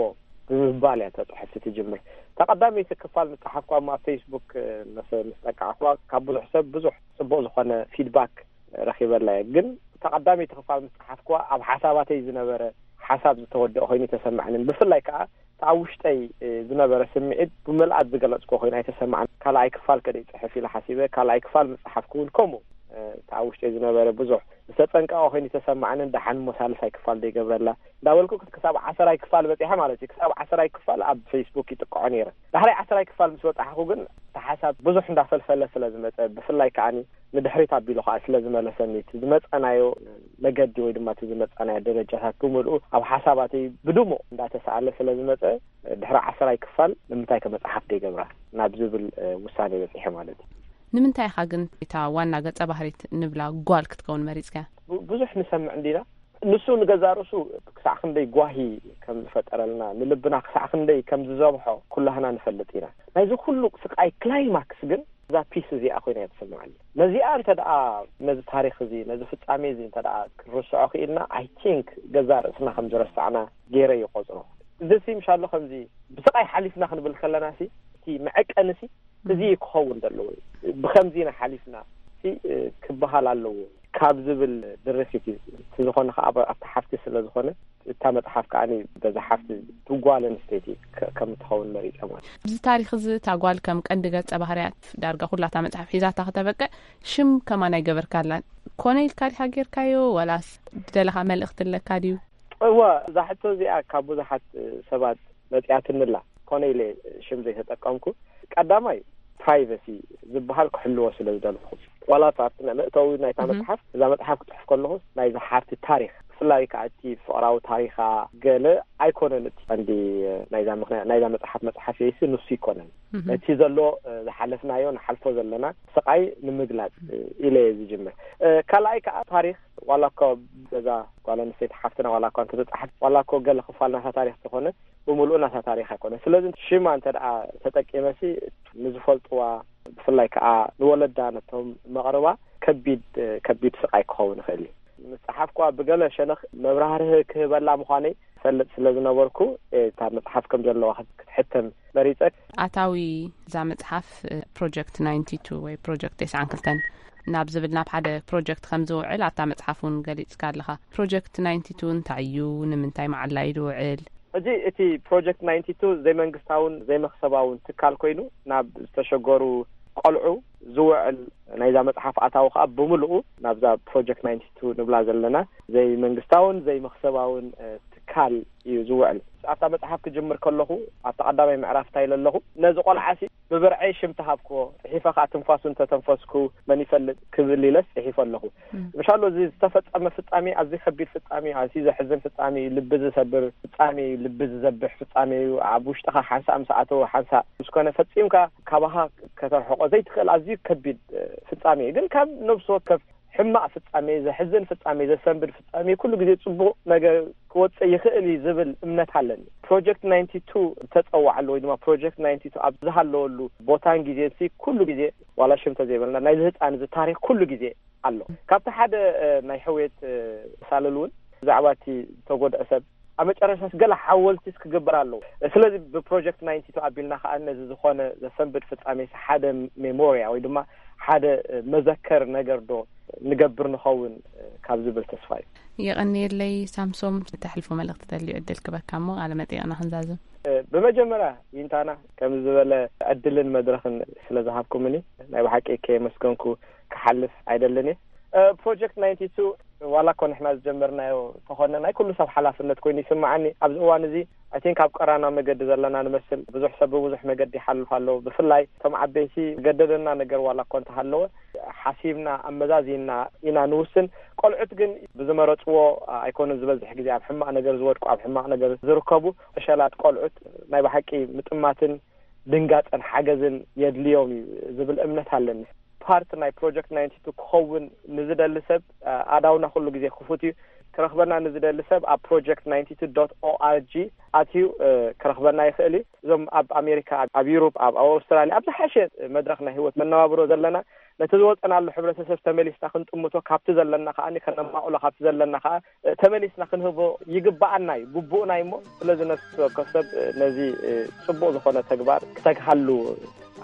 ብምባል እያ እታ ፅሕፍቲ ትጅምር። እታ ቀዳመይቲ ክፋል ምስ ፀሓፍኳ ኣብ ፌስቡክ ምስ ጠቃዕኳ፣ ካብ ብዙሕ ሰብ ብዙሕ ፅቡቅ ዝኾነ ፊድባክ ረኺበላ እየ። ግን እታ ቀዳመይቲ ክፋል ምስ ፀሓፍኳ፣ ኣብ ሓሳባተይ ዝነበረ ሓሳብ ዝተወደአ ኮይኑ ተሰማዕንን፣ ብፍላይ ከዓ እቲ ኣብ ውሽጠይ ዝነበረ ስምዒት ብምልኣት ዝገለፅኮ ኮይኑ ኣይተሰማዕን። ካልኣይ ክፋል ከደ ይፅሕፍ ኢለ ሓሲበ፣ ካልኣይ ክፋል ምስ ፀሓፍኩ እውን ከምኡ። እቲ ኣብ ውሽጠይ ዝነበረ ብዙሕ ዝተፀንቀቐ ኮይኑ ተሰማዕንን፣ ደሓን እሞ ሳልሳይ ክፋል ዘይገብረላ እንዳበልኩ ክሳብ ዓሰራይ ክፋል በፂሐ ማለት እዩ። ክሳብ ዓሰራይ ክፋል ኣብ ፌስቡክ ይጥቅዖ ነይረ። ዳሕራይ ዓሰራይ ክፋል ምስ በፃሕኩ ግን እቲ ሓሳብ ብዙሕ እንዳፈልፈለ ስለ ዝመፀ፣ ብፍላይ ከዓኒ ንድሕሪት ኣቢሉ ከዓ ስለ ዝመለሰኒ፣ እቲ ዝመፀናዮ መገዲ ወይ ድማ እቲ ዝመፀናዮ ደረጃታት ብምልኡ ኣብ ሓሳባተይ ብድሙቕ እንዳተሰኣለ ስለ ዝመፀ፣ ድሕሪ ዓሰራይ ክፋል ንምንታይ ከ መፅሓፍ ደይገብራ ናብ ዝብል ውሳኔ በፂሐ ማለት እዩ። ንምንታይ ኢኻ ግን እታ ዋና ገጸ ባህሪት ንብላ ጓል ክትከውን መሪጽካያ? ብዙሕ ንሰምዕ እንዲና። ንሱ ንገዛ ርእሱ ክሳዕ ክንደይ ጓሂ ከም ዝፈጠረልና፣ ንልብና ክሳዕ ክንደይ ከም ዝዘብሖ ኩላህና ንፈልጥ ኢና። ናይዚ ኩሉ ስቃይ ክላይማክስ ግን እዛ ፒስ እዚኣ ኮይና እያ ትስምዓኒ። ነዚኣ እንተ ደኣ፣ ነዚ ታሪኽ እዚ፣ ነዚ ፍጻሜ እዚ እንተ ደኣ ክንርስዖ ክኢልና፣ ኣይ ቲንክ ገዛ ርእስና ከም ዝረሳዕና ገይረ ይቆጽሮ። እዚ ሲ ምሻሎ ከምዚ ብስቃይ ሓሊፍና ክንብል ከለና ሲ፣ እቲ መዐቀኒ ሲ እዚ ክኸውን ዘለዎ፣ ብኸምዚ ኢና ሓሊፍና ሲ ክበሃል ኣለዎ ካብ ዝብል ድርፊት እዩ። እቲ ዝኾነ ከዓ ኣብታ ሓፍቲ ስለ ዝኾነ፣ እታ መፅሓፍ ከዓ በዛ ሓፍቲ፣ ጓል ኣንስተይቲ ከም እትኸውን መሪፀ ማለት። ኣብዚ ታሪኽ እዚ እታ ጓል ከም ቀንዲ ገፀ ባህርያት ዳርጋ ኩላታ መፅሓፍ ሒዛታ ክተበቅዕ ሽም ከማን ኣይገበርካላን። ኮነ ኢልካ ዲኻ ጌርካዮ ዋላስ ዝደለኻ መልእኽቲ ኣለካ ድዩ? እወ፣ እዛ ሕቶ እዚኣ ካብ ብዙሓት ሰባት መፂኣትንላ፣ ኮነ ኢለ ሽም ዘይተጠቀምኩ። ቀዳማይ ፕራይቨሲ ዝበሃል ክሕልዎ ስለ ዝደለኹ፣ ዋላ ኣብቲ መእተዊ ናይታ መፅሓፍ፣ እዛ መፅሓፍ ክፅሕፍ ከለኹ ናይዛ ሓፍቲ ታሪኽ፣ ብፍላይ ከዓ እቲ ፍቕራዊ ታሪኻ ገለ ኣይኮነን እቲ ቀንዲ ናይዛ ምኽንያት ናይዛ መፅሓፍ መፅሓፍ የይሲ ንሱ ይኮነን። እቲ ዘሎ ዝሓለፍናዮ ንሓልፎ ዘለና ስቃይ ንምግላፅ ኢለ እየ ዝጅምር። ካልኣይ ከዓ ታሪኽ ዋላ እኮ በዛ ጓል ኣንስተይቲ ሓፍትና ዋላ እኳ እንተተፃሕፍ፣ ዋላ እኮ ገለ ክፋል ናታ ታሪኽ ተኾነ፣ ብምሉኡ ናታ ታሪኽ ኣይኮነ። ስለዚ ሽማ እንተ ደኣ ተጠቂመሲ ንዝፈልጥዋ፣ ብፍላይ ከዓ ንወለዳ ነቶም መቕርባ ከቢድ ከቢድ ስቃይ ክኸውን ይኽእል እዩ። ምስ ፀሓፍኳ ብገለ ሸነኽ መብራህርህ ክህበላ ምዃነይ ፈልጥ ስለ ዝነበርኩ፣ እታ መፅሓፍ ከም ዘለዋ ክትሕተም መሪፀ። ኣታዊ እዛ መፅሓፍ ፕሮጀክት ናይንቲ ቱ ወይ ፕሮጀክት ተስዓን ክልተን ናብ ዝብል ናብ ሓደ ፕሮጀክት ከም ዝውዕል ኣብታ መፅሓፍ እውን ገሊፅካ ኣለኻ። ፕሮጀክት ናይንቲ ቱ እንታይ እዩ? ንምንታይ መዓላ እዩ ዝውዕል? ሕጂ እቲ ፕሮጀክት ናይንቲ ቱ ዘይመንግስታውን ዘይመኽሰባውን ትካል ኮይኑ ናብ ዝተሸገሩ ቆልዑ ዝውዕል ናይዛ መፅሓፍ ኣታዊ ከዓ ብምልኡ ናብዛ ፕሮጀክት ናይንቲ ቱ ንብላ ዘለና ዘይመንግስታውን ዘይመኽሰባውን ትካል እዩ ዝውዕል። ኣብታ መፅሓፍ ክጅምር ከለኹ ኣብታ ቀዳማይ ምዕራፍ እንታይ ኢለ ኣለኹ? ነዚ ቆልዓሲ ብብርዐይ ሽም ተሃብክዎ፣ ፅሒፈ ከዓ ትንፋሱ እንተተንፈስኩ መን ይፈልጥ ክብል ኢለስ ፅሒፈ ኣለኹ። ምሻሎ እዚ ዝተፈፀመ ፍፃሜ ኣዝዩ ከቢድ ፍፃሜ፣ ኣዝዩ ዘሕዝን ፍፃሜ እዩ፣ ልቢ ዝሰብር ፍፃሜ እዩ፣ ልቢ ዝዘብሕ ፍፃሜ እዩ። ኣብ ውሽጥኻ ሓንሳእ ምስ ኣተወ ሓንሳእ ምስ ኮነ ፈፂምካ ካባኻ ከተርሕቆ ዘይትኽእል ኣዝዩ ከቢድ ፍፃሜ እዩ። ግን ካብ ነብሲ ወከፍ ሕማቕ ፍጻሜ፣ ዘሕዝን ፍጻሜ፣ ዘሰንብድ ፍጻሜ ኩሉ ግዜ ጽቡቕ ነገር ክወጽእ ይኽእል እዩ ዝብል እምነት ኣለኒ። ፕሮጀክት ናይንቲ ቱ ዝተጸዋዓሉ ወይ ድማ ፕሮጀክት ናይንቲ ቱ ኣብ ዝሃለወሉ ቦታን ግዜን ሲ ኩሉ ግዜ ዋላ ሽም ተዘይበልና ናይዚ ህጻን እዚ ታሪኽ ኩሉ ግዜ ኣሎ። ካብቲ ሓደ ናይ ሕውየት ሳልል እውን ብዛዕባ እቲ ዝተጎድአ ሰብ ኣብ መጨረሻስ ገለ ሓወልቲስ ክግበር ኣለዎ። ስለዚ ብፕሮጀክት ናይንቲ ቱ ኣቢልና ከዓ ነዚ ዝኾነ ዘሰንብድ ፍጻሜ ሓደ ሜሞርያ ወይ ድማ ሓደ መዘከር ነገር ዶ ንገብር ንኸውን ካብ ዝብል ተስፋ እዩ። የቐንየለይ ሳምሶም፣ ተሕልፎ መልእኽቲ ተልዩ ዕድል ክበካ እሞ ቃለ መጠይቕና ክንዛዝም። ብመጀመርያ ዊንታና ከምዚ ዝበለ ዕድልን መድረኽን ስለ ዝሃብኩምኒ ናይ ብሓቂ ከየመስገንኩ ክሓልፍ ኣይደልን እየ። ፕሮጀክት ናይንቲ ቱ ዋላ እኮ ንሕና ዝጀመርናዮ ተኾነ ናይ ኩሉ ሰብ ሓላፍነት ኮይኑ ይስምዓኒ። ኣብዚ እዋን እዚ I think ኣብ ቀራና መገዲ ዘለና ንመስል። ብዙሕ ሰብ ብብዙሕ መገዲ ይሓልፍ ኣሎ። ብፍላይ እቶም ዓበይቲ ገደደና ነገር ዋላ እኮ እንተሃለወ፣ ሓሲብና ኣመዛዚና ኢና ንውስን። ቆልዑት ግን ብዝመረጽዎ ኣይኮኑን ዝበዝሕ ግዜ ኣብ ሕማቕ ነገር ዝወድቁ፣ ኣብ ሕማቕ ነገር ዝርከቡ። ዕሸላት ቆልዑት ናይ ብሓቂ ምጥማትን ድንጋጸን ሓገዝን የድልዮም እዩ ዝብል እምነት ኣለኒ። ፓርት ናይ ፕሮጀክት ናይንቲ ቱ ክኸውን ንዝደሊ ሰብ፣ ኣዳውና ኩሉ ግዜ ክፉት እዩ። ክረኽበና ንዝደሊ ሰብ ኣብ ፕሮጀክት ናይንቲ ቱ ዶት ኦኣርጂ ኣትዩ ክረኽበና ይኽእል እዩ። እዞም ኣብ ኣሜሪካ፣ ኣብ ዩሮፕ፣ ኣብ ኣውስትራልያ፣ ኣብ ዝሓሸ መድረኽ ናይ ህይወት መነባብሮ ዘለና፣ ነቲ ዝወጸናሉ ሕብረተሰብ ተመሊስና ክንጥምቶ፣ ካብቲ ዘለና ከኣ ከነማቕሎ፣ ካብቲ ዘለና ከኣ ተመሊስና ክንህቦ ይግብኣና እዩ፣ ግቡእና እዩ። እሞ ስለዚ ነፍሲ ወከፍ ሰብ ነዚ ጽቡቕ ዝኾነ ተግባር ክተግሃሉ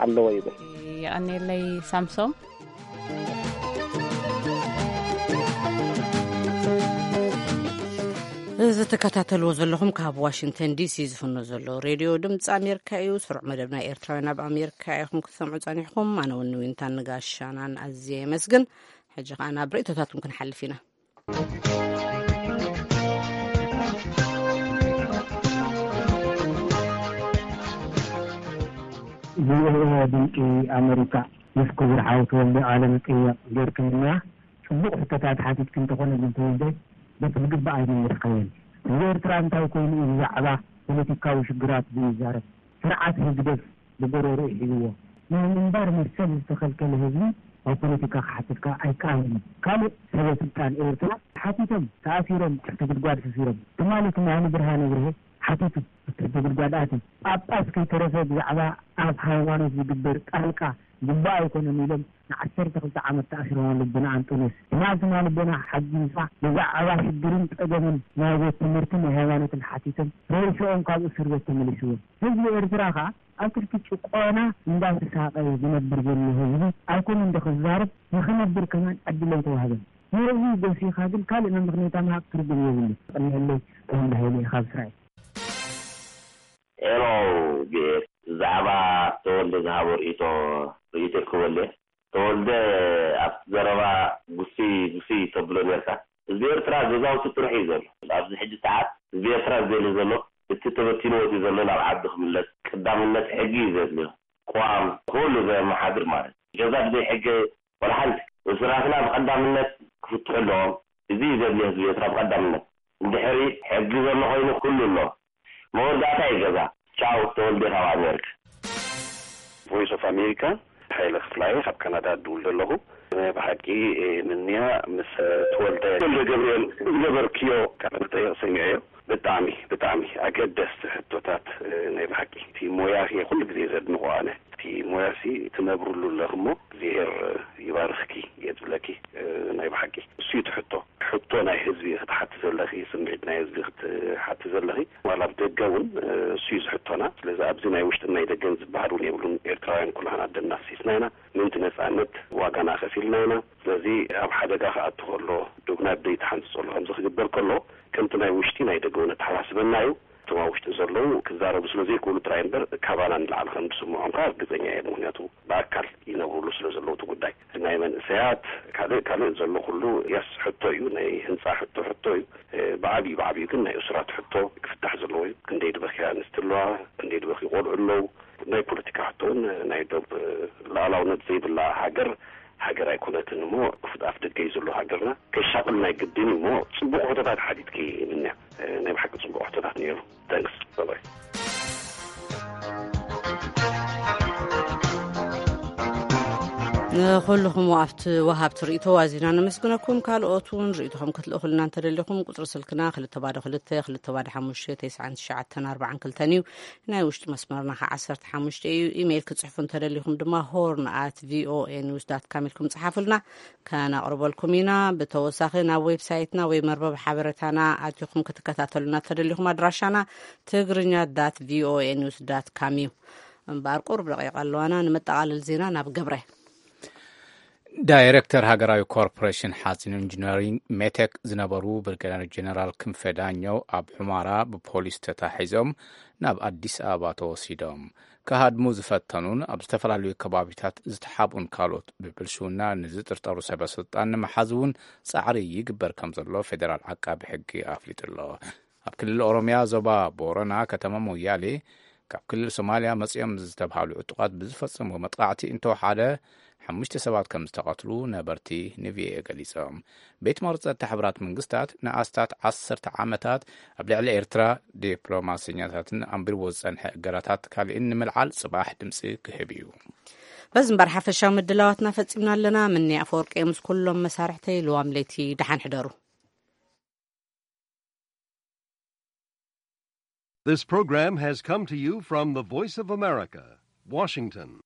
ኣለዎ ይብል። የቐኔለይ ሳምሶም። እዚ ትከታተልዎ ዘለኹም ካብ ዋሽንግተን ዲሲ ዝፍኖ ዘሎ ሬድዮ ድምፂ ኣሜሪካ እዩ። ስሩዕ መደብ ናይ ኤርትራውያን ኣብ ኣሜሪካ ኢኹም ክትሰምዑ ጸኒሕኩም። ኣነ እውን ዊንታን ንጋሻናን ኣዝየ የመስግን። ሕጂ ከኣ ናብ ርእይቶታትኩም ክንሓልፍ ኢና። ቪኦኤ ድምፂ ኣመሪካ፣ ምስ ክቡር ሓው ተወልደ ቃለ መጠይቕ ጌርክምና። ፅቡቕ ሕቶታት ሓቲትክ እንተኾነ ግን ተወልደ፣ በቲ ዝግባእ ኣይመለስካዮን። ህዝቢ ኤርትራ እንታይ ኮይኑ እዩ ብዛዕባ ፖለቲካዊ ሽግራት ዘይዛረብ? ስርዓት ህግደፍ ብጎሮርኡ ሒዝዎ ናይ ምንባር መሰል ዝተኸልከለ ህዝቢ ኣብ ፖለቲካ ክሓትት ከኣ ኣይከኣልን እዩ። ካልእ ሰበ ስልጣን ኤርትራ ሓቲቶም ተኣሲሮም ትሕቲ ጉድጓድ ሰፊሮም። ትማሊ ትማሊ ብርሃነ ብርሄ ሓቲቱ ኣብ ትሕቲ ጉድጓድ ኣትዩ። ጳጳስ ከይተረፈ ብዛዕባ ኣብ ሃይማኖት ዝግበር ጣልቃ ግቡእ ኣይኮነን ኢሎም ንዓሰርተ ክልተ ዓመት ተኣሲሮም ኣለዉ ኣቦና ኣንጦንዮስ። ትማሊ ትማሊ ኣቦና ሓጊዝኻ ብዛዕባ ሽግርን ጸገምን ናይ ቤት ትምህርትን ናይ ሃይማኖትን ሓቲቶም ሬስኦም ካብ እስር ቤት ተመሊስዎም። ህዝቢ ኤርትራ ከኣ ኣብ ትሕቲ ጭቆና እንዳተሳቐየ ዝነብር ዘሎ ህዝቢ ኣይኮነን ዶ ክዛረብ? ንኽነብር ከማን ዕድል ኣይተዋህበን። ንርእዩ ጎሲኻ ግን ካልእ መመኽነይታ ምሃብ ትርጉም የብሉን። የቐንየለይ። ተወልደ ሃይለ እየ ካብ እስራኤል። ሄሎ ቪኦኤ፣ ብዛዕባ ተወልደ ዝሃቦ ርእይቶ፣ ርእይቶ ክበል እየ። ተወልደ ኣብቲ ዘረባ ጉስይ ጉስይ ተብሎ ነርካ። ህዝቢ ኤርትራ ገዛውቲ ጥራሕ እዩ ዘሎ። ኣብዚ ሕጂ ሰዓት ህዝቢ ኤርትራ ዝደሊ ዘሎ እቲ ተበቲኑ ወፂኡ ዘሎ ናብ ዓዱ ክምለስ ቀዳምነት ሕጊ እዩ ዘድልዮ። ቅዋም ኩሉ ዘመሓድር ማለት እዩ። ገዛ ብዘይ ሕጊ ወላ ሓንቲ። እሱራትና ብቐዳምነት ክፍትሑ ኣለዎም። እዚ እዩ ዘድልዮ ህዝቢ ኤርትራ ብቐዳምነት። እንድሕሪ ሕጊ ዘሎ ኮይኑ ኩሉ ኣሎ። መወዳእታ እዩ ገዛ። ቻው ተወልደ ካብ ኣሜሪካ። ቮይስ ኦፍ ኣሜሪካ፣ ሓይለ ክፍላየ ካብ ካናዳ እድውል ዘለኹ። ናይ ብሓቂ ምንያ ምስ ተወልደ ተወልደ ገብርኤል ዝገበርክዮ ቃለ መጠይቕ ሰሚዐዮ። ብጣዕሚ ብጣዕሚ ኣገደስቲ ሕቶታት። ናይ ብሓቂ እቲ ሞያኺ ኩሉ ግዜ ዘድንቖ ኣነ። እቲ ሞያሲ ትነብርሉ ኣለኽ እሞ እግዚኣብሔር ይባርኽኪ እየ ዝብለኪ። ናይ ብሓቂ እሱ እዩ እቲ ሕቶ። ሕቶ ናይ ህዝቢ ክትሓቲ ዘለኺ፣ ስምዒት ናይ ህዝቢ ክትሓቲ ዘለኺ፣ ዋላ ኣብ ደገ እውን እሱ እዩ ዝሕቶና። ስለዚ ኣብዚ ናይ ውሽጥን ናይ ደገን ዝበሃል እውን የብሉን። ኤርትራውያን ኩላህና ደምና ኣፍሲስና ኢና። ምእንቲ ነጻነት ዋጋና ከፊልና ኢና። ስለዚ ኣብ ሓደጋ ክኣቱ ከሎ፣ ዶብና ብደይ ተሓንጽጸሉ ከምዚ ክግበር ከሎ፣ ከምቲ ናይ ውሽጢ ናይ ደገ እውን ኣተሓሳስበና እዩ። እቶም ኣብ ውሽጢ ዘለዉ ክዛረቡ ስለ ዘይክእሉ ጥራይ እምበር፣ ካባና ንላዕሊ ከም ዝስምዖም ከኣ ርግጸኛ እየ። ምኽንያቱ ብኣካል ይነብርሉ ስለ ዘለዉ እቲ ጉዳይ። ናይ መንእሰያት ካልእ ካልእ ዘሎ ኩሉ የስ ሕቶ እዩ፣ ናይ ህንጻ ሕቶ ሕቶ እዩ። ብዓብዩ ብዓብዩ ግን ናይ እሱራት ሕቶ ክፍታሕ ዘለዎ እዩ። ክንደይ ድበኽያ ኣንስቲ ኣለዋ፣ ክንደይ ድበኽዩ ቆልዑ ኣለዉ። ናይ ፖለቲካ ሕቶ እውን ናይ ዶብ ልኣላውነት ዘይብላ ሃገር ሃገር ኣይኮነትን እሞ ክፉት ኣፍ ደገ እዩ ዘሎ ሃገርና። ከሻቕል ናይ ግድን እዩ እሞ ጽቡቕ ሕቶታት ሓቲትኪ ምንያ። ናይ ብሓቂ ጽቡቕ ሕቶታት ነይሩ። Thanks. Bye bye. ንኹልኹም ኣብቲ ወሃብቲ ርእይቶ ኣዚና ነመስግነኩም። ካልኦት እውን ርእይቶኹም ክትልእኹልና እንተደሊኹም ቁፅሪ ስልክና ክልተ ባዶ ክልተ ክልተ ባዶ ሓሙሽተ ተስዓን ትሽዓተን ኣርባዓን ክልተን እዩ። ናይ ውሽጢ መስመርና ከዓ ዓሰርተ ሓሙሽተ እዩ። ኢሜይል ክፅሕፉ እንተደሊኹም ድማ ሆርን ኣት ቪኦኤ ኒውስ ዳት ካም ኢልኩም ፀሓፉልና፣ ከነቕርበልኩም ኢና። ብተወሳኺ ናብ ዌብሳይትና ወይ መርበብ ሓበሬታና ኣቲኹም ክትከታተሉና እንተደሊኹም ኣድራሻና ትግርኛ ዳት ቪኦኤ ኒውስ ዳት ካም እዩ። እምበኣር ቁሩብ ደቂቃ ኣለዋና። ንመጠቓለል ዜና ናብ ገብረ። ዳይሬክተር ሃገራዊ ኮርፖሬሽን ሓፂን ኢንጂነሪንግ ሜቴክ ዝነበሩ ብርጋዴር ጀነራል ክንፈ ዳኘው ኣብ ሑመራ ብፖሊስ ተታሒዞም ናብ ኣዲስ ኣበባ ተወሲዶም። ክሃድሙ ዝፈተኑን ኣብ ዝተፈላለዩ ከባቢታት ዝተሓብኡን ካልኦት ብብልሽውና ንዝጥርጠሩ ሰበ ስልጣን ንምሓዝ እውን ፃዕሪ ይግበር ከም ዘሎ ፌደራል ዓቃቢ ሕጊ ኣፍሊጡ ኣሎ። ኣብ ክልል ኦሮምያ ዞባ ቦረና ከተማ ሞያሌ ካብ ክልል ሶማልያ መጺኦም ዝተብሃሉ ዕጡቓት ብዝፈጸምዎ መጥቃዕቲ እንተወሓደ ሓሙሽተ ሰባት ከም ዝተቐትሉ ነበርቲ ንቪኦኤ ገሊጾም። ቤት ማሕተም ጸጥታ ሕቡራት መንግስታት ንኣስታት ዓሰርተ ዓመታት ኣብ ልዕሊ ኤርትራ ዲፕሎማሰኛታትን ኣንቢርዎ ዝጸንሐ እገዳታት ካልእን ንምልዓል ጽባሕ ድምጺ ክህብ እዩ። በዚ እምበር ሓፈሻዊ ምድላዋትና ፈጺምና ኣለና። ምኒ ኣፈወርቂ ምስ ኩሎም መሳርሕተይ ልዋም ለይቲ ደሓን ሕደሩ። This program has come to you from the Voice of America, Washington.